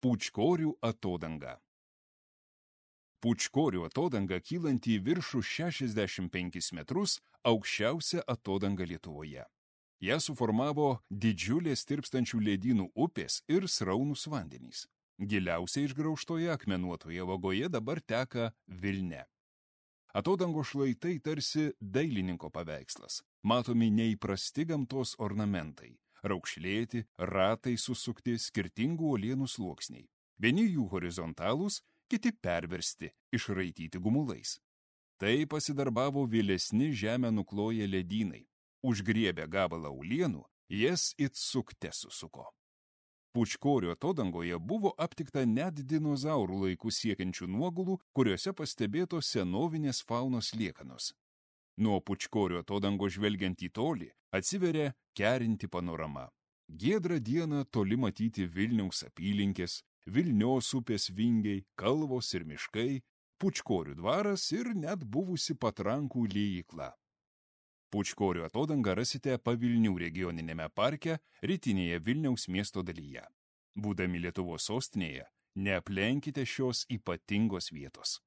Pūčkorių atodanga. Pūčkorių atodanga kylanti į viršų 65 metrus, aukščiausia atodanga Lietuvoje. Ją suformavo didžiulės tirpstančių ledynų upės ir sraunūs vandenys. Giliausiai išgraužtoje akmenuotoje vagoje dabar teka Vilnia. Atodango šlaitai tarsi dailininko paveikslas. Matomi neįprasti gamtos ornamentai. Raukšlėti, ratai susukti, skirtingų uolienų sluoksniai. Vieni jų horizontalūs, kiti perversti, išraityti gumulais. Tai pasidarbavo vėlesni žemę nukloję ledynai. Užgriebę gabalą uolienų, jas it sukte susuko. Pūčkorių atodangoje buvo aptikta net dinozaurų laikų siekiančių nuogulų, kuriuose pastebėtos senovinės faunos liekanos. Nuo Pūčkorių atodango žvelgiant į tolį, atsiveria kerinti panorama. Giedrą dieną toli matyti Vilniaus apylinkės, Vilnios upės vingiai, kalvos ir miškai, Pūčkorių dvaras ir net buvusi patrankų liejykla. Pūčkorių atodangą rasite Pavilnių regioninėme parke, rytinėje Vilniaus miesto dalyje. Būdami Lietuvos sostinėje, neaplenkite šios ypatingos vietos.